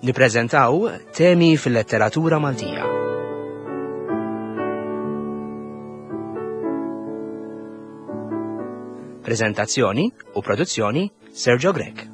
Nippreżentaw temi fil-letteratura Maltija. Prezentazzjoni u produzzjoni Sergio Grech.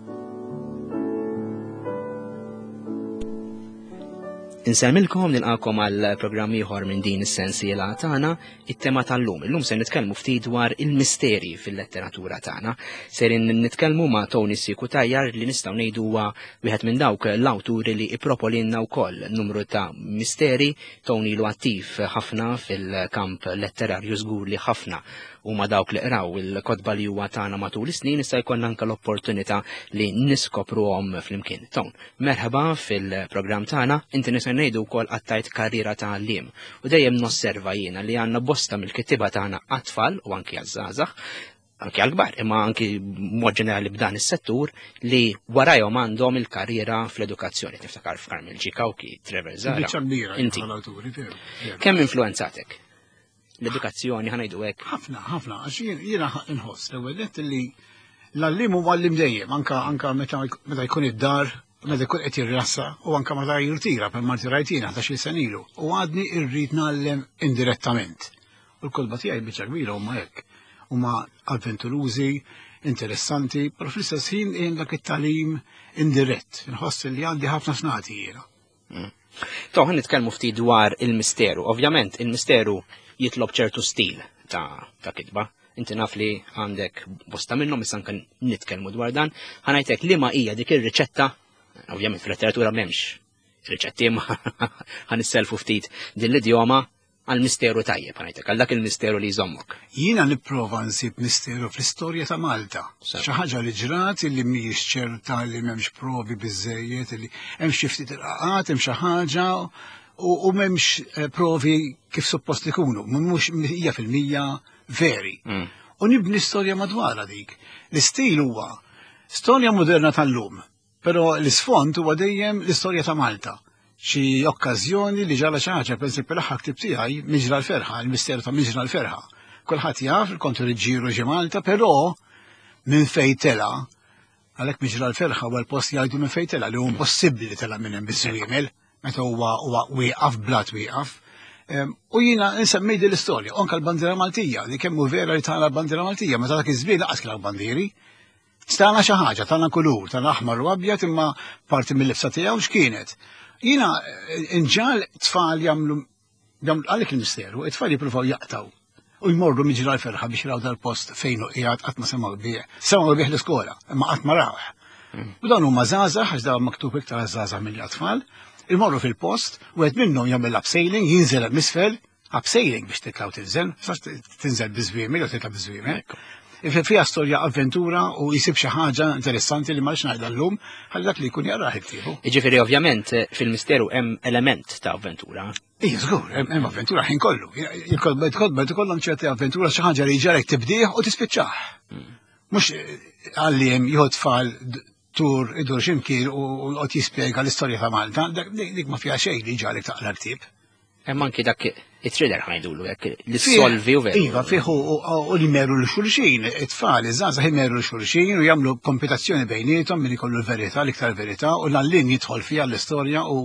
Insemmilkom nilqakom għal programm ieħor minn din is-sensiela tagħna it-tema tal-lum. Illum se nitkellmu ftit dwar il-misteri fil-letteratura tagħna. Serin nitkellmu ma' Tony Sikutajar li nistgħu ngħidu huwa wieħed minn dawk l-awturi li ippropolinna wkoll numru ta' misteri. Tony ilu attiv ħafna fil-kamp letterarju żgur li ħafna huma dawk li qraw il-kotba li huwa tagħna matul is-snin issa jkollna anke l-opportunità li niskopruhom flimkien. Ton, merħba fil-programm tagħna, inti nista' ngħidu wkoll qattajt karriera ta' għalliem u dejjem nosserva jiena li għandna bosta mill-kittiba tagħna għat-tfal u anki għaż-żgħażagħ anki għal-kbar, imma anki mod ġenerali b'dan is-settur li warajhom għandhom il-karriera fl-edukazzjoni. Tiftakar f'Carmel G. Cauchi, Trevor Zara. Inti. Kemm influenzatek? L-edukazzjoni ħanajdu hekk. Ħafna, ħafna, għax jiena inħoss l-ewwel nett li l-għalliem huwa għallim dejjem, anka anka meta jkun id-dar, meta jkun qed jirrassa u anka meta jirtira per ma rtirajt jiena 11-il sena ilu. U għadni rrid ngħallem indirettament. U l-kotba tiegħi biċċa kbira huma hekk. Huma avventurużi, interessanti, però fl-istess ħin hemm dak it-tagħlim indirett. Inħoss li għandi ħafna x'nagħti jiena. Mm. To, ħan nitkellmu ftit dwar il-misteru. Ovvjament, il-misteru jitlob ċertu stil ta', ta kitba. Inti naf li għandek bosta minnhom issa anke nitkellmu dwar dan. Ħanajtek li ma hija dik ir-riċetta, ovvjament fil-letteratura m'hemmx riċetti ma ħanisselfu ftit din l-idjoma għal misteru tajjeb, ngħidlek, għal dak il-misteru li jżommok. Jiena nipprova nsib misteru fl-istorja ta' Malta. Xi ħaġa li ġrat li mhijiex ċerta li m'hemmx provi biżejjed li hemm xi ftit irqaqat, hemm xi ħaġa u m'hemmx eh, provi kif suppost ikunu, mhux hija fil-mija veri. Mm. U nibni storja madwarha dik. L-istil huwa storja moderna tal-lum, Però l-isfond huwa dejjem l-istorja ta' Malta. Xi okkażjoni li ġara xi ħaġa, pereżempju l-aħħar ktieb tiegħi Miġra l-Ferħa, il-misteru ta' Miġra l-Ferħa. Kulħadd jaf il-Kontu Riġġieru ġie Malta, però minn fejn tela' għalhekk Miġra l-Ferħa huwa l-post jgħidu minn fejn tela' li hu impossibbli li tela' minn hemm biż-żwiemel meta huwa huwa wieqaf blat wieqaf. U jiena nsemmi din l-istorja, anke l-bandiera Maltija, li kemm hu vera li tagħna l-bandiera Maltija, meta dak iż-żmien laqas kien bandieri. Tana xi ħaġa, tana kulur, tana aħmar u abjad imma parti mill-libsa tiegħu x'kienet. Jiena eh, inġal tfal jagħmlu jagħmlu għalik il-misteru, it-tfal jippruvaw jaqtaw u jmorru miġra l-ferħa biex raw dal-post fejn u qiegħed qatt ma semgħu bih. Semgħu bih l-iskola, imma qatt ma rawh. Mm. U dawn huma żgħażagħ għax dawn maktub iktar żgħażagħ mill-atfal, imorru fil-post, u qed minnhom jagħmel abseiling, jinżel hemm isfel, Abseiling biex titla' u tinżel, tinżel biż-żwiemel jew titla' biż-żwiemel. Fija storja avventura u jisib xi ħaġa interessanti li ma rridx ngħidha llum, ħalli dak li jkun jaqrah iktiebu. Jiġifieri ovvjament fil-misteru hemm element ta' avventura. Ija, żgur, hemm avventura ħin kollu. Il-kotba ikollhom ċerti avventura xi ħaġa li ġarek tibdih u tispiċċah. Hmm. Mhux għalliem jieħu tfal tur idur x'imkien u qed jispjega l-istorja ta' Malta, dik ma fiha xejn li ġarek taqra ktieb. Hemm anki dak it-thriller ħajdulu hekk li solvi u veru. Iva, fih u li meru l xulxin, it-tfal, iż-żgħażagħ imeru l xulxin u jagħmlu kompetizzjoni bejniethom min ikollu l-verità, l-iktar verità, u l-għalliem jidħol fiha l-istorja u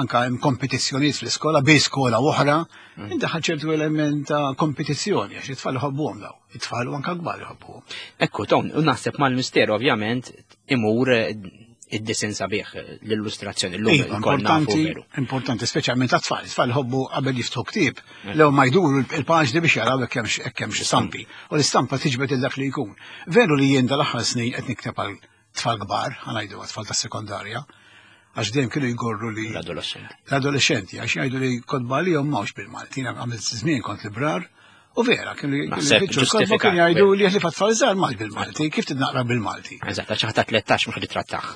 anka hemm kompetizzjonijiet fl-iskola bej skola oħra. Mm. Indaħal ċertu element ta' kompetizzjoni għax it-tfal iħobbuhom daw, it-tfal u anka kbar iħobbuhom. Ekku, Ton, u naħseb mal-misteru ovvjament imur id-disen sabiħ l-illustrazzjoni l-lum. Iva, importanti, importanti, speċjalment għat-tfal. Tfal ħobbu qabel jiftħu ktieb, eh. lew ma jduru il-paġni biex jaraw hekk hemm xi stampi. U l-istampa tiġbed il dak li jkun. Veru li jien dal-aħħar snin qed nikteb għal tfal kbar, ħanajdu għat-tfal tas-sekondarja, għax dejjem kienu jgorru li. L-adolescenti. L-adolescenti, għax jgħidu li kotba li jom mawx bil-Malti, għamilt żmien kont librar, U vera, kienu jgħidu kienu jgħidu li ħlifa tfal żgħar mal bil-Malti, kif tidnaqra bil-Malti? Eżatt, għax ħadd 13 mhux titrattaħ.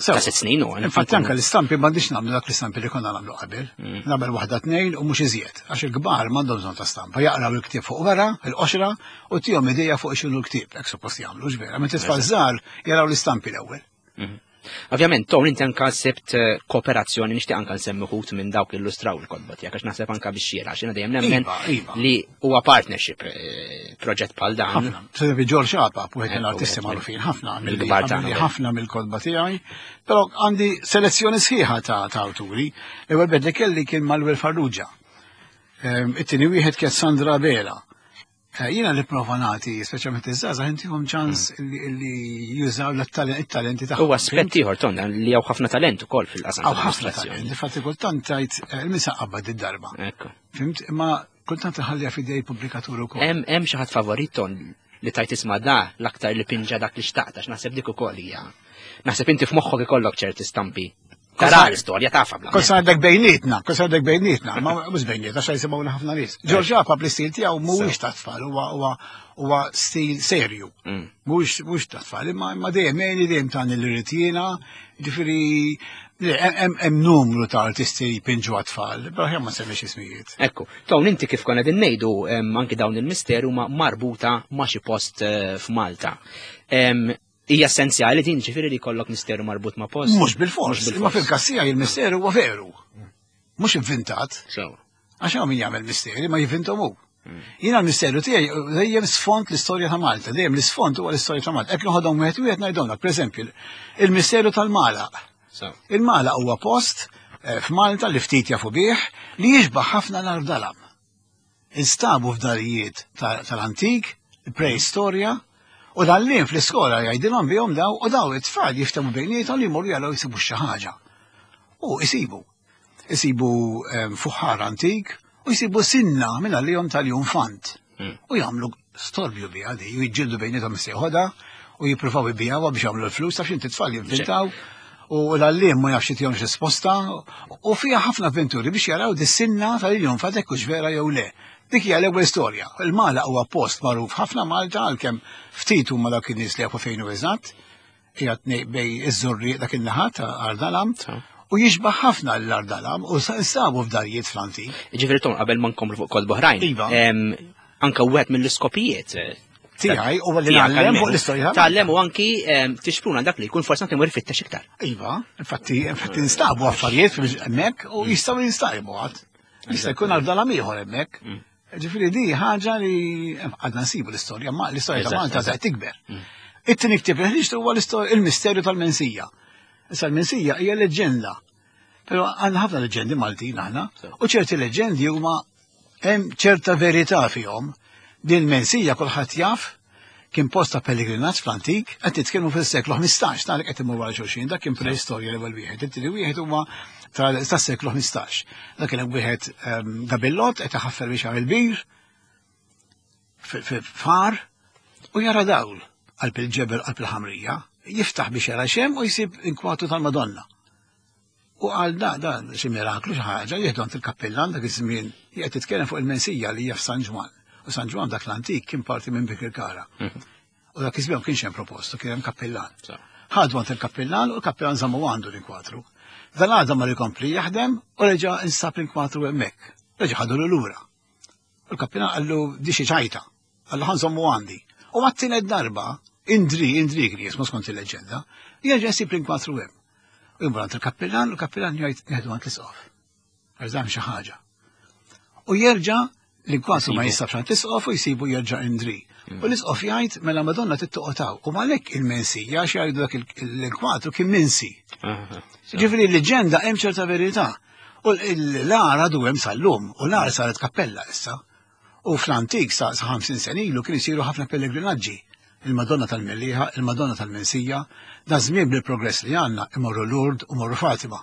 Ta' sitt snin u. Infatti anke l-istampi m'għandix nagħmlu dak l-istampi li konna nagħmlu qabel. Mm. Nagħmel waħda tnejn u mhux iżjed, għax il-kbar m'għandhom bżonn ta' stampa, jaqraw il-ktieb fuq wara, il-qoxra, u tihom idea fuq x'inhu l-ktieb, hekk suppost jagħmlu x'vera. Meta tfal żgħar jaraw l-istampi l-ewwel. Mm. Ovvjament, Tony, inti anka sibt eh, kooperazzjoni nixtieq anka nsemmi wħud minn dawk illustraw il-kotba tiegħek għax naħseb anka biex xiera, xina dejjem nemmen Iva, iva. li huwa partnership eh, proġett bħal dan. Ħafna. Se George Apap, wieħed Ekku, mill-artisti wieħed magħrufin ħafna, mill-kbar tagħna, għamilli vera. ħafna mill-kotba tiegħi, però għandi selezzjoni sħiħa ta' ta' awturi. L-ewwel bed li kelli kien Manuel Farrugia. Ehm, It-tieni wieħed kien Sandra Bela. Eh, Jiena li prova nagħti, speċjalment iż-żgħażagħ intihom ċans li li jużaw l-talenti tagħhom. Huwa aspett ieħor Ton li hawn ħafna talent ukoll fil-qasam Hawn ħafna tal-illustrazzjoni. talent. Infatti kultant tajt il-misa qabad id-darba. Ekku. Fimt? Imma kultant iħallija f'idej pubblikatur ukoll. Hemm hemm xi ħadd favorit Ton li tajt isma' da l-aktar li pinġa dak li xtaqt għax naħseb dik ukoll hija. Naħseb inti f'moħħok ikollok ċerti stampi. Tara l-istorja tafa bla. Kos għandek bejnietna, kos għandek bejnietna, ma mhux bejnietna, xa jisimgħuna ħafna nies. George Apap l-istil tiegħu mhuwiex ta' tfal, huwa huwa huwa stil serju. Mhuwiex mhux ta' tfal, imma imma dejjem għeni dejjem tani li rrid jiena, ġifieri le, hemm hemm numru ta' artisti jpinġu għat-tfal, però ħja ma semmix ismijiet. Ekku, Ton inti kif konna din ngħidu em, anki dawn il-misteru ma marbuta ma' xi post eh, f'Malta. Em, Hija essenzjali din ġifieri li jkollok misteru marbut ma' post. Mhux bil-fors, Mhux imma fil-każ tiegħi il-misteru huwa veru. Mhux inventat. Sewa. Għax hawn min jagħmel misteri ma jivvintom hu. Jiena l-misteru tiegħi dejjem sfond l-istorja ta' Malta, dejjem l-isfond huwa l-istorja ta' Malta. Hekk noħodhom wieħed wieħed ngħidhomlek, pereżempju, il-misteru tal-Malaq. Sewa. Il-Malaq huwa post eh, f'Malta li ftit jafu bih li jixbaħ ħafna l-Ardalam. Instabu f'darijiet ta- tal-antik, preistorja, u dal-lin fl-iskola jgħidilhom bihom daw u daw it-tfal jiftemu bejniethom li jmorru jaraw jsibu xi ħaġa. U jsibu. Isibu ehm, fuħħar antik u jsibu sinna minn għalihom tal-jum-fant. U jagħmlu storbju biha di, u jiġġieldu bejniethom is-sejħoda u jippruvaw ibijawha biex jagħmlu l-flus taf x'inti tfal jivvintaw u l-għalliem ma jafx jitihomx risposta u fiha ħafna avventuri biex jaraw dis-sinna tal-jum fant hekk hux vera jew le. Dik hija l-ewwel storja. Il-Mala huwa post magħruf ħafna Malta għalkemm ftit huma dawk in-nies li jafu fejn hu eżatt. Qiegħed bej iż-Żurrieq dak in-naħa ta' Ardalam u jixbaħ ħafna l-Ardalam u sabu f'darijiet fl-antik. Ġifieri Ton qabel ma nkomplu fuq kotba oħrajn. Iva. em, Anka wieħed mill-iskopijiet eh, Tiegħi huwa li tiegħek ngħallem almenu. fuq l-istorja ta' Malta. Tgħallem u anki em, tixpruna dak li jkun forsi anke jmur ifittex iktar. Iva, infatti, infatti instabu affarijiet hemmhekk u jistgħu jinstabu għad. Jista' jkun għal ieħor hemmhekk. Ġifieri di ħaġa li għadna nsibu l-istorja, ma l-istorja ta' Eżatt, Malta eżatt. se tikber. It-tieni ktieb li ħriġt huwa l-istorja il-misterju tal-Mensija. Issa l-Mensija hija leġġenda. Però għandna ħafna leġġendi Maltin aħna, u ċerti leġġendi huma hemm ċerta verità fihom. Din il-Mensija kulħadd jaf kien post ta' pellegrinaġġ fl-antik, qed nitkellmu fis-seklu 15, tagħlek qed imur wara xulxin, dak kien preistorja l-ewwel wieħed, it-tieni wieħed huwa tas-seklu 15. Dak kien hemm wieħed ehm, gabillot qed iħaffer biex jagħmel bir far u jara dawl qalb il-ġebel qalb il-ħamrija, jiftaħ biex jara xem u jsib inkwatu tal-Madonna. U għal da, da, xi miraklu xi ħaġa, jieħdu għand il-kappellan dak iż-żmien, qed titkellem fuq il-mensija li hija f'San Ġwann. U San Ġwann dak l-antik kien parti minn Bikirkara. U dak iż-żmien ma kienx hemm propostu, kien hemm kappellan. Ħadu għand il-kappellan u l-kappellan żammu għandu l-inkwatru. Dan għadha mar ikompli jaħdem u reġa' instab l-inkwatru hemmhekk. Reġa' ħadu lura. U l-kappellan qallu di xi ċajta. Qallu ħa nżommu għandi. U għat-tielet darba, Indri, Indri kien jismu skont il-leġenda, jerġa' jsib l-inkwatru hemm. U jmur għand il-kappellan u l-kappellan jgħid nieħdu għand l-isqof. Għax dan xi ħaġa. U jerġa' l-inkwatru ma Jsibu. jinsabx għand l-isqof u jsibu jerġa' Indri. U l-isqof jgħid mela Madonna tittoqgħod U għalhekk il-mensija għax jgħidu dak l-inkwatru kien minsi. Ġifieri l-leġenda hemm ċerta verità. U l-għar għadu hemm sal-lum, u l-għar saret kappella issa. U fl-antik sa sa 50 sena ilu kien isiru ħafna pellegrinaġġi. Il-Madonna tal-Mellieħa, il-Madonna tal-Mensija, da żmien bil-progress li għandna imorru Lourdes u morru Fatima.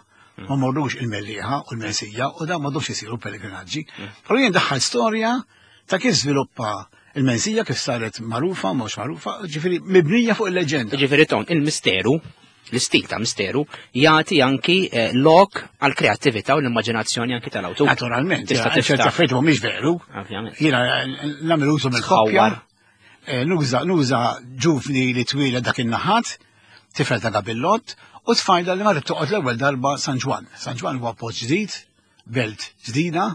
Ma morrux il-Mellieħa u l-Mensija u da m'għadhomx isiru pellegrinaġġi. Però jien daħħal storja ta' kif żviluppa il-Mensija kif saret magħrufa, mhux magħrufa, ġifieri mibnija fuq il-leġenda. Ġifieri Ton, il-misteru, l-istil ta' misteru, jagħti anki eh, lok għal kreattività u l-immaġinazzjoni anki tal-awtur. Naturalment, Tista' ċerta tiftaħ. affarijiet mhumiex veru. Ovvjament. Jiena nagħmel użu mill-koppja. Tħawwar. Eh, Nuża nuża ġuvni li twila dak in-naħat, tifel ta' gabillot, u tfajla li marret toqgħod l-ewwel darba San Ġwann. San Ġwann huwa post ġdid, belt ġdida,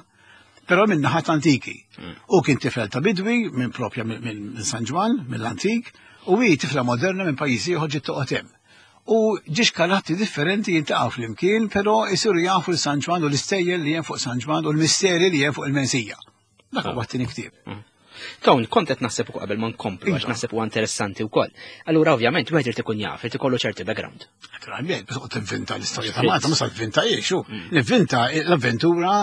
però minn naħat antiki. U kien tifel ta' bidwi minn propja minn minn San Ġwann, mill-antik, u hi tifla moderna minn pajjiż ieħor ġiet toqgħod hemm. U ġiex karattri differenti jiltaqgħu flimkien, però jsiru jafu l San Ġwann u l-istejjer li hemm fuq San Ġwann u l-misteri li hemm fuq il-mensija. Dak huwa t-tieni ktieb. Tony, kont qed naħseb ukoll qabel ma nkomplu għax iva. naħseb huwa interessanti wkoll. Allura ovvjament wieħed irid ikun jaf, irid ikollu ċerti background. Naturalment, biex toqgħod tinvinta l-istorja ta' Malta, ma sa tvinta ix, mm. Nivvinta l-avventura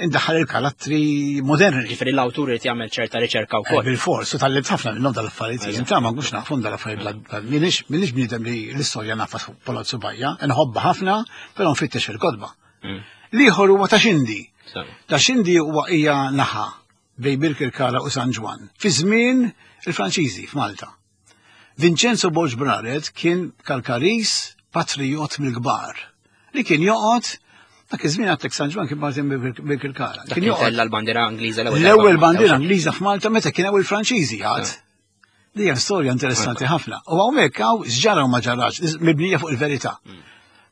indaħħal il-karattri moderni. Ġifieri l-awtur irid jagħmel ċerta riċerka wkoll. Eh, bil-fors, u tal-libt ħafna minnhom dal-affarijiet. Inta ma nkunx nafu dal-affarijiet minix bniedem li l-istorja nafa Palazzo Bajja, nħobba ħafna, però nfittex il-kodba. Mm. Liħor huwa ta' xindi. Ta' xindi huwa hija naħa bejn Birkirkara u San Ġwann, fi żmien il-Franċiżi f'Malta. Vincenzo Borg Braret kien Kalkaris patrijot mill-kbar li kien joqgħod dak iż-żmien għattek San Ġwann kien parti Birkirkara. Kien joqgħod l-bandiera Ingliża l-ewwel. L-ewwel bandiera Ingliża f'Malta meta kien hawn il-Franċiżi għad. Li hija storja interessanti ħafna. U hawnhekk hawn x'ġara u ma ġarax, mibnija fuq il-verità. Mm.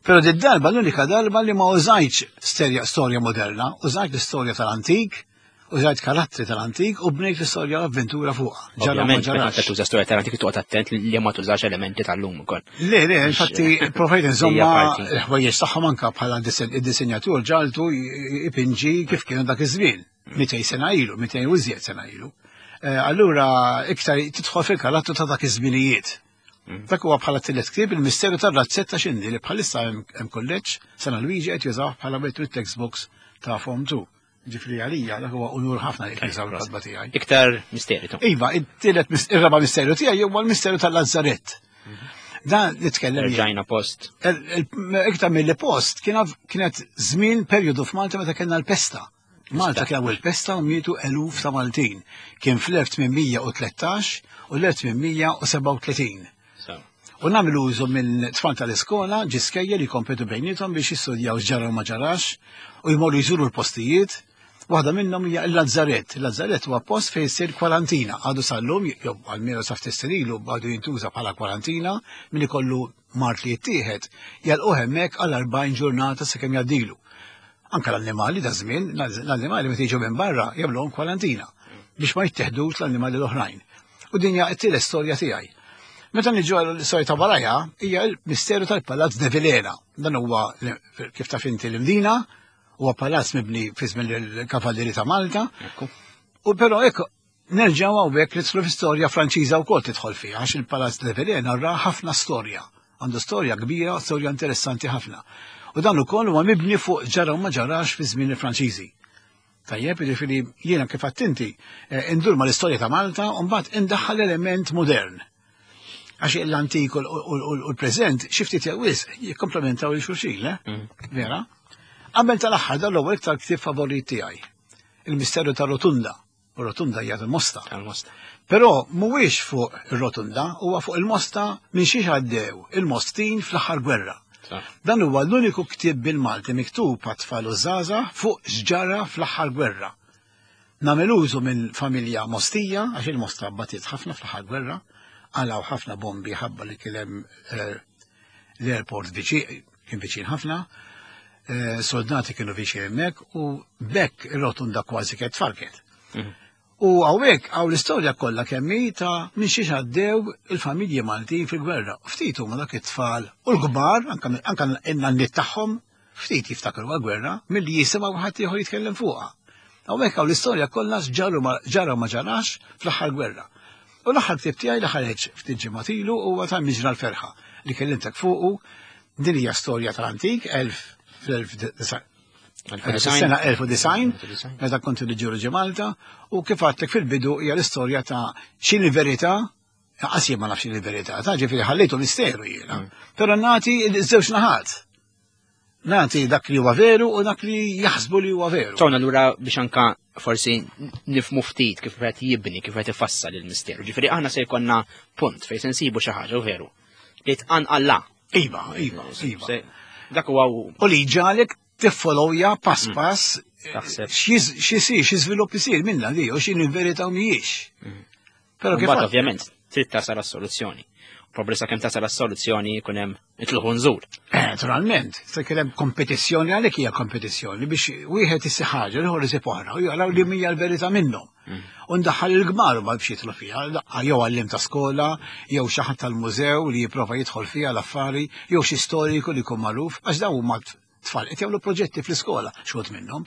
Però di darba l-unika darba li ma użajtx storja moderna, użajt l-istorja tal-antik, użajt karattri tal-antik u bnejt l-istorja l-avventura fuqha. Ġara ma ġarax. Meta tuża storja tal-antik toqgħod attent li ma tużax elementi tal-lum ukoll. Le, le, infatti provajt nżomma l-ħwejjeġ tagħhom anka bħala id-disinjatur ġaltu ipinġi kif kienu dak iż-żmien. 200 sena ilu, 200 u iżjed sena ilu. Eh, allura iktar tidħol fil-karattru ta' dak iż-żminijiet. Mm. Dak huwa bħala tielet ktieb il-misteru tar-razzetta xindi li bħalissa hemm kulleġġ San Luigi qed jużaw bħala wieħed mit-textbooks ta' Form 2. Ġifri għalija dak huwa unur ħafna li jużaw il-kotba tiegħi. Iktar misteri. Iva, it-tielet ir-raba' misteru tiegħi huwa l-misteru tal-Lazzarett. Mhm. Dan nitkellem. Rġajna post. Iktar mill-li post kienet żmien perjodu f'Malta meta kellna l-pesta. Malta kien hawn il-pesta u mietu eluf ta' Maltin. Kien fl-1813 u l-1837. U nagħmel użu minn tfal tal-iskola ġiskejjel jikkompetu bejniethom biex jistudjaw x'ġara u ma ġarax u jmorru jżuru l-postijiet. Waħda minnhom hija l-Lazzarett. Il-Lazzarett huwa post fejn issir kwarantina. Għadu sal-lum, jew almenu sa ftit ilu għadu jintuża bħala kwarantina min ikollu mard li jittieħed, jalquh hemmhekk għal 40 ġurnata sakemm jgħaddilu. Anka l-annimali da żmien, l-annimali meta jiġu minn barra jagħmluhom kwarantina biex ma jitteħdux l-annimali l-oħrajn. U din hija t-tielet storja tiegħi. Meta niġu għal l-istorja ta' warajha hija l-misteru tal-Palazz de Vilena. Dan huwa kif taf inti l-Imdina, huwa palazz mibni fi żmien il-Kavallieri ta' Malta. U però hekk Nerġgħu hawnhekk nidħlu fi storja Franċiża wkoll tidħol fiha għax il-Palazz de Vilena ra ħafna storja. Għandu storja kbira, storja interessanti ħafna. U dan ukoll huwa mibni fuq ġara u ma ġarax fi żmien il-Franċiżi. Tajjeb, jiġifieri jiena kif għadt inti, eh, indur mal-istorja ta' Malta u mbagħad indaħħal element modern. Għax l-antik u l-preżent xi ftit jew wisq jikkomplementaw lil xulxin, eh? Mm. Vera? Qabel tal-aħħar dan l-ewwel iktar ktieb favorit tiegħi. Il-Misteru ta' Rotunda. U Rotunda hija tal-Mosta. Tal-Mosta. Però mhuwiex fuq ir-Rotunda, huwa fuq il-Mosta minn xiex għaddew il-Mostin fl-aħħar gwerra. Dan huwa l-uniku ktieb bil-Malti miktub għat-tfal u żgħażagħ fuq x'ġara fl-aħħar gwerra. Nagħmel użu minn familja Mostija, għax il-Mosta batiet ħafna fl-aħħar gwerra, qalgħu ħafna bombi ħabba li kien hemm eh, l-airport viċin, kien viċin ħafna, eh, soldati kienu viċin hemmhekk u bekk ir-rotunda kważi kienet tfarket. Mhm. U hawnhekk hawn l-istorja kollha kemm hi ta' minn xiex għaddew il-familji Maltin fil-gwerra. Ftit huma dak it-tfal u l-kbar, anke n-nanniet tagħhom, ftit jiftakru għal-gwerra milli jisimgħu ħadd ieħor jitkellem fuqha. Hawnhekk hawn l-istorja kollha ġara ma ġarax fl-aħħar gwerra. U l-aħħar ktieb tiegħi li ħareġ ftit ġimgħat ilu huwa ta' Miġra l-Ferħa li kellimtek fuqu. Din hija storja tal-antik, sena 1090, meta kont niġu Malta, u kif għedtlek fil-bidu hija l-istorja ta' x'inhi verità, qas jien ma nafx x'inhi verità, ta' ġifieri ħallejtu misteru jiena. Mm. Però nagħti żewġ naħat. Nagħti dak li huwa veru u dak li jaħsbu li huwa veru. Tona lura biex anka forsi nifmu ftit kif qed jibni, kif qed ifassal il-misteru. Ġifieri aħna se jkollna punt fejn se nsibu xi ħaġa u veru. Li tqanqalla. Iva, iva, iva. Dak huwa U li ġalek tiffollowja pass mm. pass x'isir, xi żvilupp isir minna li u x'inhi verità u mhijiex. Mm. Però kif ovvjament trid tasal għas-soluzzjoni. Probabli sakemm tasal għas-soluzzjoni jkun hemm itluħu nżul. Eh, naturalment, se kien hemm kompetizzjoni għalhekk hija kompetizzjoni biex wieħed issi ħaġa, l-ieħor isib oħra u jaraw li mhija l-verità minnhom. U ndaħħal il-gmar ma biex jidħlu fiha, jew għallim ta' skola, jew xi ħadd tal-mużew li jipprova jidħol fiha l-affari, jew xi storiku li jkun magħruf, għax dawn huma tfal qed jagħmlu proġetti fl-iskola xogħod minnhom.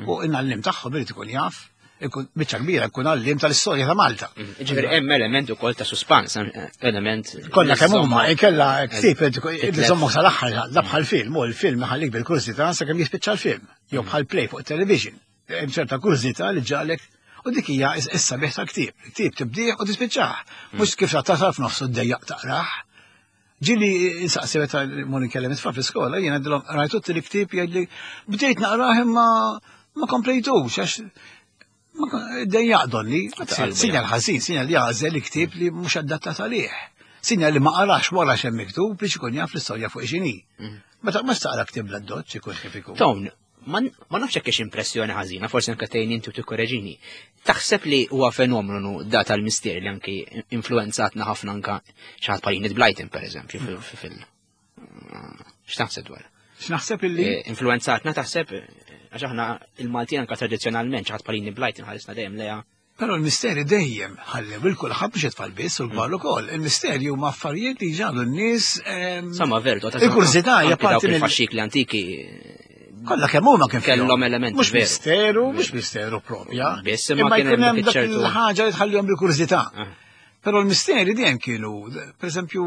U l-għallim tagħhom irid ikun jaf, ikun biċċa kbira jkun għallim tal-istorja ta' Malta. Ġifieri hemm element ukoll ta' suspans, element. Kollha kemm huma, inkella ktieb iżommok sal-aħħar, da bħal film, u l-film iħallik bil-kurżità sakemm jispiċċa l-film, jew bħal play fuq television. Hemm ċerta kurżità li ġalek u dik hija issa bih ta' ktieb. Ktieb tibdih u tispiċċah. Mhux kif tasal f'nofsu ddejjaq taqrah. Ġili insaqsi meta mur inkellem it-tfal fl-iskola, jien għedilhom rajtu t-tieni ktieb jgħidli bdejt naqrah imma ma komplejtux għax dejjaq donni, sinjal ħażin, sinjal li għażel ktieb li mhux adattat għalih. Sinjal li ma qarax wara x'hemm miktub biex ikun jaf l-istorja fuq x'inhi. Meta ma taqra ktieb l-addoċċ ikun kif ikun. Tone, ma nafx hekk impressjoni ħażina, forsi anke tgħin inti u tikkoreġini. Taħseb li huwa fenomenu da tal-mistier li anki influenzatna ħafna anka xi ħadd bħal Enid Blyton pereżempju fil x'taħseb dwar? X'naħseb illi? Influenzatna taħseb għax aħna il-Maltin anka tradizzjonalment xi ħadd bħal Enid Blyton ħarisna dejjem leha. Però l-misteri dejjem ħallew il kulħadd biex it-tfal biss u l-kbar ukoll. Il-misteri huma affarijiet li ġalu n-nies. Sama vertu, ta' Il-kurżità hija parti mill faxxikli antiki. Kollha kemm huma kien kellhom elementi. Mhux misteru, mhux misteru propja. Biss imma kien hemm dak il-ħaġa li tħallihom bil-kurżità. Però l-misteri dejjem kienu, pereżempju,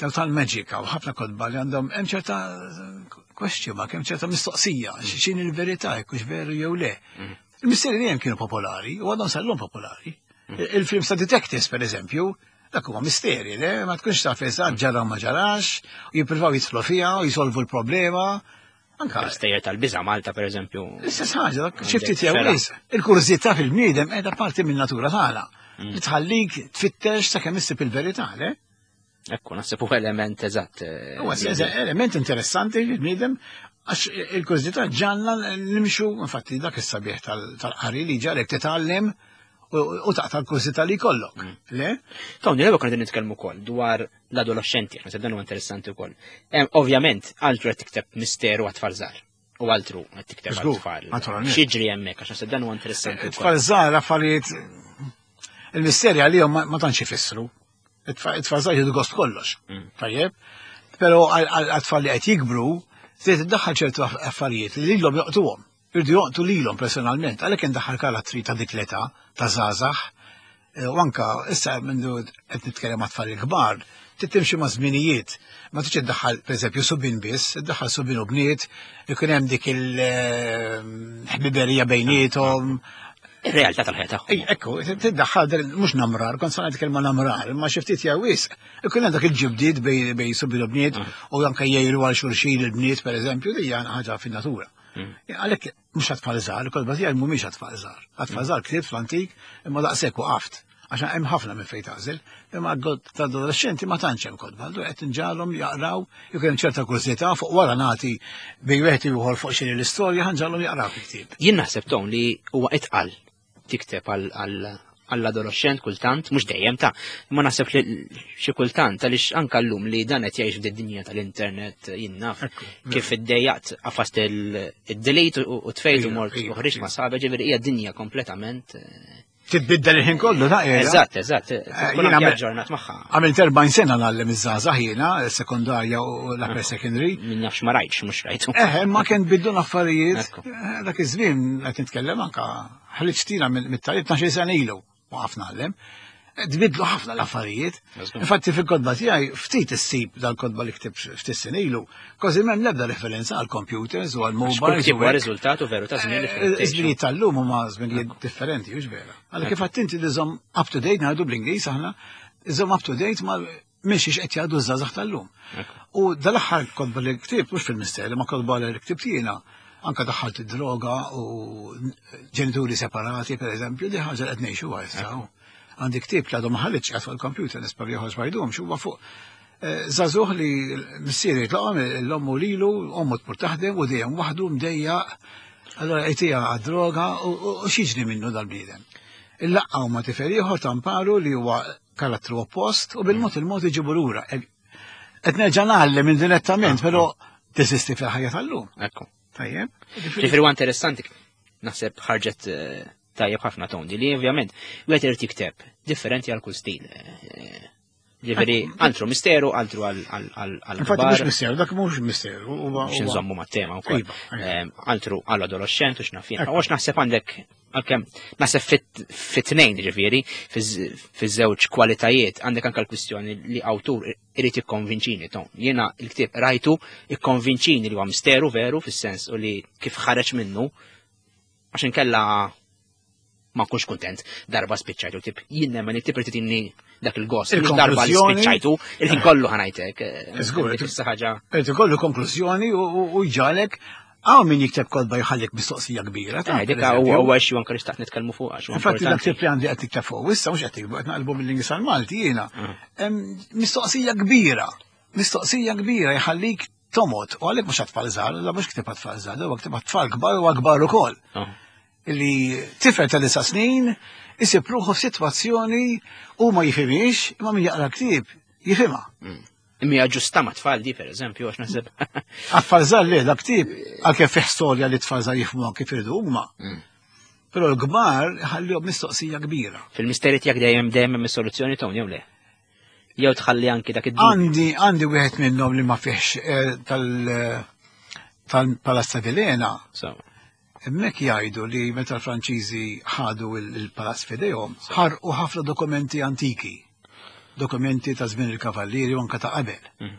daw tal-magic u ħafna kotba li għandhom hemm ċerta question mark, hemm ċerta mistoqsija, x'in il-verità, jekk hux veru jew le. Il-misteri dejjem kienu popolari u għadhom sal-lum popolari. Il-film ta' detectives, per eżempju, dak huwa misteri, le? Ma tkunx taf eżatt ġara ma ġarax, u jippruvaw jidħlu fiha u jisolvu l-problema. Anka stejjer tal-biża' Malta, per eżempju. L-istess ħaġa, dak xi ftit jew wisq. Il-kurżità fil-bniedem qiegħda parti min-natura tagħna. Li tħallik tfittex sakemm issib il-verità, le? Ekku, naħseb huwa element eżatt. Huwa element interessanti fil-bniedem għax il-kurżità ġanna nimxu, infatti dak is-sabiħ tal-qari li ġarek titgħallem u taqta' l-kurżità li jkollok. Le? Tony, l-ewwel konna nitkellmu wkoll dwar l-adolescenti, naħseb dan huwa interessanti wkoll. Ovvjament, altru qed tikteb misteru għat-tfal żgħar. U altru qed tikteb għat-tfal. Naturalment. X'jiġri hemmhekk għax naħseb dan huwa interessanti wkoll. Tfal żgħar affarijiet il-misteri għalihom ma tantx ifissru. It-tfal żgħar jieħdu gost kollox. Tajjeb? Però għat-tfal li qed jikbru, trid iddaħħal ċertu affarijiet li lilhom joqtuhom. Irdu joqtu lilhom personalment, għalhekk indaħħal karattri ta' dik l-età, ta' żgħażagħ. U anka issa mindu qed nitkellem ma' tfal il-kbar, trid timxi ma' żminijiet. Ma tridx iddaħħal pereżempju subien biss, iddaħħal subien u bniet, ikun hemm dik il-ħbiberija bejniethom. Ir-realtà tal-ħajja tagħhom. Ej, ekku, tiddaħħal mhux namrar, kont sa ngħid kelma namrar, imma xi ftit jew wisq. Ikun hemm dak il-ġibdiet bejn subien u bniet u anke jgħiru għal xulxin il-bniet pereżempju, li hija ħaġa fin-natura. Għalhekk mhux għat-tfal żgħar, il-kotba tiegħi mhumiex għat-tfal żgħar. Għat-tfal żgħar ktibt fl-antik imma daqshekk waqaft. Għax hemm ħafna minn fejn tagħżel, imma ta' adolescenti ma tantx hemm kotba. Allura qed inġagħalhom jaqraw, jkun hemm ċerta kurżità fuq wara nagħti bejn wieħed ieħor fuq xini l-istorja ħanġagħalhom jaqraw il-ktieb. Jien naħseb Ton li huwa itqal tikteb għall-adolescent kultant, mhux dejjem ta' imma naħseb li xi kultant għaliex anke llum li dan qed jgħix fid-dinja tal-internet jien naf kif iddejjaqt qafast id-delete u tfejt u mort u ħriġt ma' sħabek, ġifieri hija dinja kompletament Titbiddel il-ħin kollu, ta' qiegħda. Eżatt, eżatt. Tkun Jiena aġġornat magħha. Għamilt 40 sena ngħallem iż-żgħażagħ jiena, sekondarja u l-upper secondary. Min nafx ma rajtx, mhux rajtu. Ma kien bidlu l-affarijiet. Ekku. Dak iż-żmien qed nitkellem anka ħriġtina mit-tagħlim tnax-il sena ilu waqaf ngħallem. Tbidlu ħafna l-affarijiet. Infatti fil-kotba tiegħi ftit issib dal-kotba li ktibt ftit snin ilu, kważi m'hemm l-ebda referenza għal computers u għal Għax kull mobiles. ktieb huwa riżultat u veru ta' żmien li fejn tgħixu. Żminijiet tal-lum huma żminijiet differenti, hux vera. Għalhekk kif għedt inti li żomm up to date ngħidu bl-Ingliż aħna, żomm up to date ma' minn xiex qed jgħaddu ż-żgħażagħ tal-lum. U dal-aħħar kotba li ktibt, mhux fil-misteri, ma kotba li ktibt jiena, anka daħħalt id-droga u ġenituri separati, per eżempju, di ħaġa li qed ngħixuha issa. Għandi ktieb li għadu ma ħaritx qiegħed fuq il-computer, nispera li joħroġ ma jdumx, huwa fuq żagħżugħ li missieri jitlaqhom l-ommu lilu, ommu tmur taħdem u dejjem waħdu mdejjaq, allora jtiha għad-droga u x'jiġri minnu dal-bniedem. Illaqgħu ma' tifel ieħor tamparu li huwa karattru oppost u bil-mod il-mod iġibu lura. Qed nerġa' ngħallem indirettament, però teżisti fil-ħajja tal-lum. Ekku. Tajjeb. Ġifieri huwa interessanti, naħseb ħarġet Tajjeb ħafna tondi li ovvjament wieħed irid jikteb differenti għal kull stil. Ġifieri altru misteru, altru għal Infatti mhux misteru, dak mhux misteru. Biex nżommu mat-tema wkoll. Iva, iva. Ehm, altru għal adolescent u x'naf jien. Għax naħseb għandek għalkemm naħseb fit-tnejn ġifieri fiż-żewġ kwalitajiet għandek anke l-kwistjoni li awtur irid jikkonvinċini ton. Jiena l-ktieb rajtu ikkonvinċini li huwa misteru veru fis-sens u li kif ħareġ minnu għax inkella ma nkunx kuntent darba spiċċajtu tip jien nemmen it-tip irid inni dak il-gost mhux darba li spiċċajtu il-ħin kollu ħanajtek. Eh, Żgur, ħaġa. Irid ikollu konklużjoni u jġalek Għaw min jikteb kodba jħallik mistoqsija kbira. Eh, dik huwa xi anke li xtaqt nitkellmu fuq għax. Infatti dak tip li għandi qed tikteb fuq, issa mhux qed tiktbu qed naqlbu mill-Ingliż għal Malti jiena. Ah. Mistoqsija kbira. Mistoqsija kbira jħallik tomot, u għalhekk mhux għat-tfal żgħar, la mhux ktib għat-tfal żgħar, huwa ktib għat-tfal kbar u akbar ukoll. Ah. Li tifel ta' disa snin isib ruħu f'sitwazzjoni u ma jifhimhiex, imma min jaqra ktieb jifhimha. Mm. Imma ġusta ma tfal di per eżempju, għax naħseb. Għat-tfal żgħar le, dak ktieb għalkemm fih storja li tfal żgħar jifhmuha kif iridu huma. Mm. Però l-kbar ħallihom mistoqsija kbira. Fil-misteri tiegħek dejjem dejjem hemm is-soluzzjoni Tony jew le? Jew tħalli anki dak id Għandi għandi wieħed minnhom li ma fihx eh, tal eh, tal-Palazz ta' Vilena. Hemmhekk jgħidu li meta l-Franċiżi ħadu il-palazz f'idejhom, ħarqu ħafna dokumenti antiki, dokumenti ta' żmien il-kavallieri u anke ta' qabel. Mm.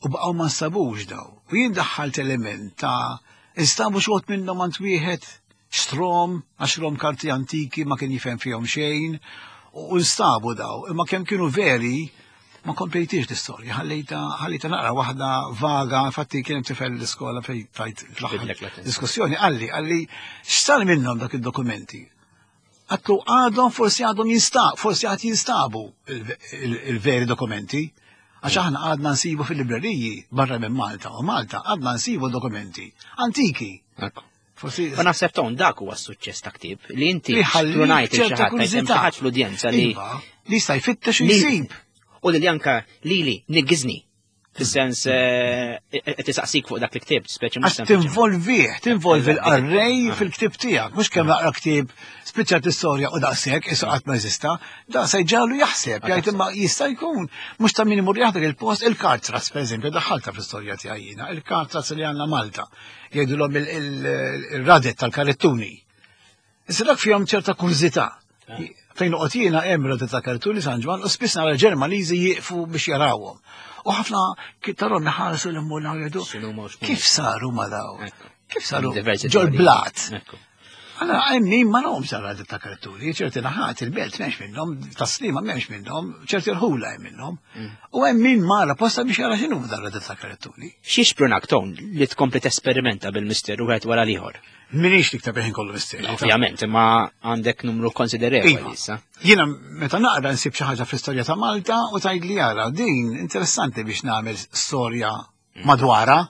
U baqgħu ma nstabux daw. U jien daħħalt element ta' instabu xogħod minnhom għand wieħed xtrom, għax rom karti antiki ma kien jifhem fihom xejn, u nstabu daw, imma kemm kienu veri, ma komplejtiex l-istorja, ħallejta ħallejta naqra waħda vaga, infatti kien hemm tifel l-iskola fejn tajt fl-aħħar diskussjoni, qalli, qalli x'sar minnhom dak id-dokumenti. Għatlu għadhom forsi għadhom jinstab, forsi għad jinstabu il-veri dokumenti. Għax aħna għadna nsibu fil-libreriji barra minn Malta u Malta għadna nsibu dokumenti antiki. Forsi. Ma naħseb ton dak huwa s-suċċess ta' ktieb li inti xprunajt xi ħadd fl-udjenza li iva, li jista' jfittex u jsib. U li anka lili niggiżni fis-sens eh, qed isaqsik fuq dak il-ktieb, speċi mhux Tinvolvih, tinvolvi l-qarrej ah. fil-ktieb tiegħek, mhux kemm naqra ktieb spiċċat istorja u daqshekk isu qatt ma jeżista, da se jġagħlu jaħseb, jgħid imma jista' jkun mhux ta' min imur jaħdem il-post il-kartras pereżempju daħħalta fl-istorja tiegħi jiena, il-kartras li għandna Malta. Jgħidulhom il-radet tal-karettuni. Issa dak fihom ċerta kurżità. Ah. Fejn noqgħod jiena hemm radet ta' karettuni San Ġwann u spiss nara Ġermaniżi jieqfu biex jarawhom. U ħafna tarhom iħarsu l-immuna jgħidu kif saru ma daw? Kif saru? Ġol blat. Għala, hemm min ma nahom sara ta' karturi, ċerti naħat il-belt m'hemmx minnhom, taslima m'hemmx minnhom, ċerti rħula hemm minnhom. Mm. U hemm min mara posta biex jara x'inhu dar ta' karturi. Xi xprunak ton li tkompli tesperimenta bil-misteru wieħed wara l-ieħor? Minix niktab ħin kollu misteru. Ovvjament, imma għandek numru konsiderevoli iva. issa. Jiena meta naqra nsib xi ħaġa fl-istorja ta' Malta u tgħid li jara din interessanti biex nagħmel storja mm. madwara.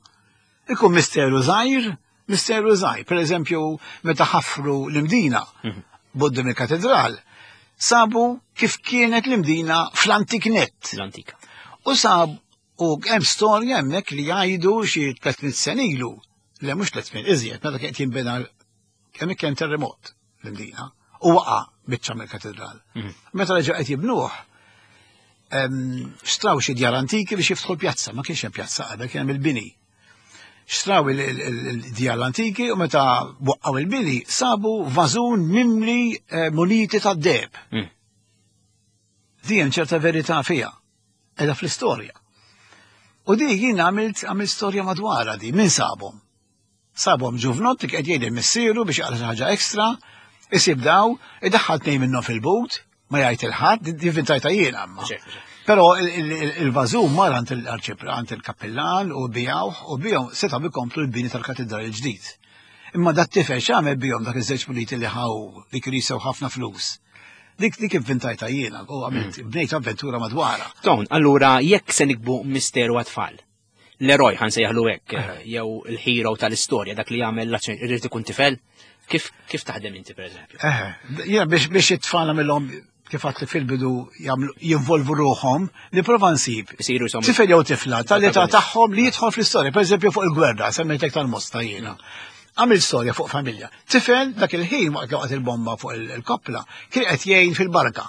Ikun misteru żgħir Misteru żgħir, per eżempju, meta ħafru l-Imdina mhm. buddim il-katedral, sabu kif kienet l-Imdina fl-antik net. L-antika. U sab u hemm storja hemmhekk li jgħidu xi 300 sen ilu, le mhux 300 iżjed, meta kien jinbena kemm kien terremot l-Imdina u waqa' biċċa mill-katedral. Mhm. Meta reġgħu qed jibnuh, xtraw xi djar antiki biex jiftħu l-pjazza, ma kienx hemm pjazza qabel kien hemm il-bini. Xtraw il-djar l-antiki u meta waqqaw il-bini sabu vażun mimli eh, muniti ta' deb. Hmm. Di hemm ċerta verità fiha, edha fl-istorja. U di jien għamilt għamilt storja madwarha di, min sabhom? Sabhom ġuvnott li qed jgħid missieru biex jaqra xi ħaġa ekstra, isib daw, idaħħal tnejn minnhom fil-but, ma jgħid il-ħadd, divvintajta jien amma. Però il-vażum mar għand il-arċipra, għand il-kappillan u bijawh u bijhom setgħu ikomplu l-bini tal-katedral il-ġdid. Imma dat tifel x'għamel bihom dak iż-żewġ muniti li ħaw li kienu jisew ħafna flus. Dik dik ivvintajta jiena u għamilt mm. bnejt avventura madwarha. Ton, allura jekk se nikbu misteru għat-tfal, l-eroj ħan sejjaħlu hekk, eh, jew il-hero tal-istorja dak li jagħmel l-azzjoni irid ikun tifel, kif kif taħdem inti pereżempju? Eh, jiena biex biex it-tfal nagħmilhom kif għatli fil-bidu jinvolvu ruħhom, nipprova nsib. Isiru Tifel jew tifla tal-età tagħhom li jidħol fl-istorja, pereżempju fuq il-gwerra, semmejtek tal-mosta jiena. Għamil storja fuq familja. Tifel dak il-ħin waqt li waqgħet il-bomba fuq il-koppla kien qed jgħin fil-barka.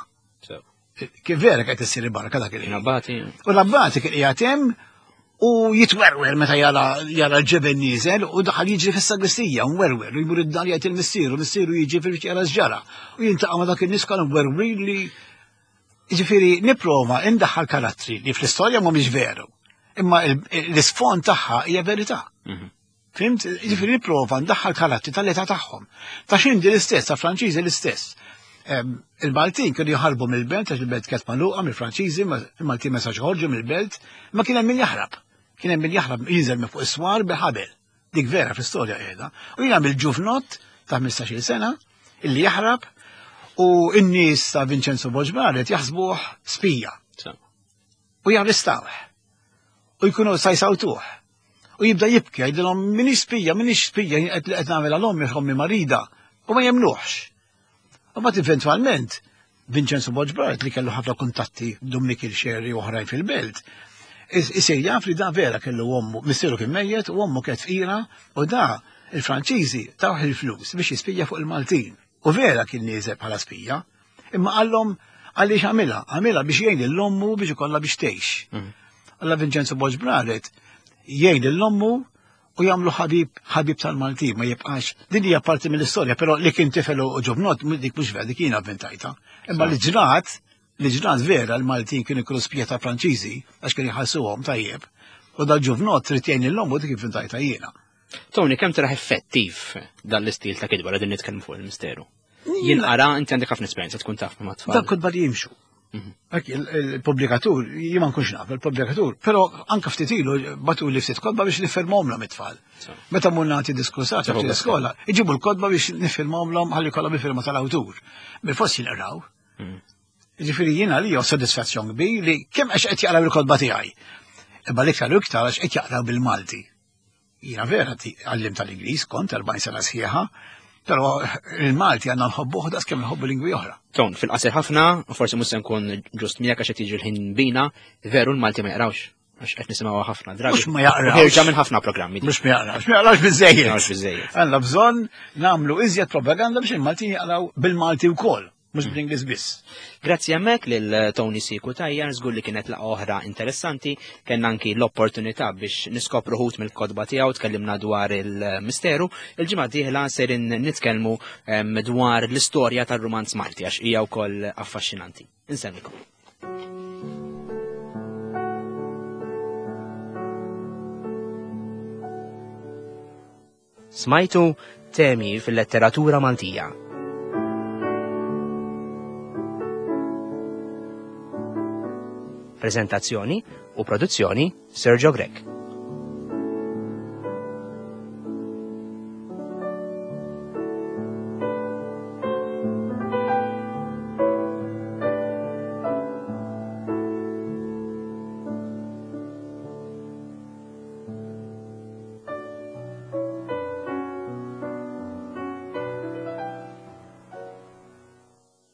Kif vera qed issir il-barka dak il-ħin. L-abbati. U l-abbati kien qiegħed hemm u jitwerwer meta jara jara l-ġebel nieżel u daħal jiġri fis-sagristija mwerwer u jmur id-dar jgħid il-missieru, missieru jiġi fil jara x'ġara u jintaqa' ma' dak in-nies kollha mwerwrin li Ġifieri nipprova indaħħal karattri li fl-istorja mhumiex veru, imma l-isfond tagħha hija verità. Fhimt? Ġifieri nipprova ndaħħal karattri tal-età tagħhom. Ta' xindi l-istess, ta' Franċiżi l-istess. Il-Maltin kienu jaħarbu mill-belt, għax il-belt kienet magħluqa mill-Franċiżi, il-Maltin ma sax joħorġu mill-belt, ma kien hemm min jaħrab. Kien hemm min jaħrab jinżel minn fuq is-swar bil-ħabel. Dik vera fl-istorja qiegħda. U jien għamil ġuvnott ta' 15-il sena illi jaħrab u n-nies ta' Vincenzo Borg Barrett jaħsbuh spija. U jarrestawh. U jkunu sa jsawtuh. U jibda jibki, jgħidilhom minix spija, minix spija, qed li qed nagħmel għal ommi, ommi marida. U ma jemnuhx. U mbagħad eventwalment Vincenzo Borg Barrett li kellu ħafna kuntatti Dominic il-Xerri u oħrajn fil-belt, isir jaf li da vera kellu ommu, missieru kien mejjet u ommu kienet fqira u da il-Franċiżi tawh il-flus biex jispija fuq il-Maltin. U vera kien nieżel bħala spija, imma qallhom għaliex għamilha, għamilha biex jgħin lil ommu biex ikollha biex tgħix. Alla Vincenzo Borg Barrett jgħin lil ommu u jagħmlu ħabib ħabib tal-Maltin ma jibqax. Din hija parti mill-istorja, però li kien tifel u ġuvnott dik mhux vera, dik jiena avventajta. Imma li ġrat, li ġrat vera l-Maltin kienu jkunu spija ta' Franċiżi għax kienu jħallsuhom tajjeb. U dal-ġuvnott trid jgħin lil ommu dik ivvintajta jiena. Tony, kemm taraħ effettiv dan l-istil ta' kitba li din nitkellmu fuq il-misteru? Jinqara, inti għandek ħafna esperjenza tkun taf ma' tfal. Dak kotba li jimxu. Hekk il-pubblikatur, jien ma nkunx naf il-pubblikatur, però anke ftit ilu batu li ftit kotba biex nifirmhomlhom it-tfal. Meta mmur nagħti diskursat fil iskola, iġibu l-kotba biex nifirmhomlhom ħalli kollha bi-firma tal-awtur. Bil-fors jinqraw. Ġifieri jiena li sodisfazzjon kbir li kemm għax qed jaqraw il-kotba tiegħi. Imma l-iktar u iktar għax qed jaqraw bil-Malti. Jiena vera għallim tal-Ingliż kont 40 sena sħiħa, però il-Malti għandna nħobbuh daqs kemm nħobbu lingwi oħra. Ton, fil-qasir ħafna, u forsi mhux se nkun ġust miegħek għax qed jiġi l-ħin bina, veru l-Malti ma jaqrawx. Għax qed nisimgħu ħafna drabi. Mhux ma jaqrawx. Ħirġa minn ħafna programmi. Mhux ma jaqrawx, ma jaqrawx biżejjed. Jaqrawx biżejjed. Għandna bżonn nagħmlu iżjed propaganda biex il-Maltin jaqraw bil-Malti wkoll. Mhux bl-Ingliż biss. Grazzi hemmhekk lil Tony Siku Tajjar, żgur li kienet laqgħa oħra interessanti, kellna anki l-opportunità biex niskopru ħut mill-kotba tiegħu, tkellimna dwar il-misteru. Il-ġimgħa dieħla serin nitkellmu dwar l-istorja tar-rumanz Malti għax hija wkoll affaxxinanti. Insemmikom. Smajtu temi fil-letteratura Maltija. Prezentazzjoni u produzzjoni Sergio Grech.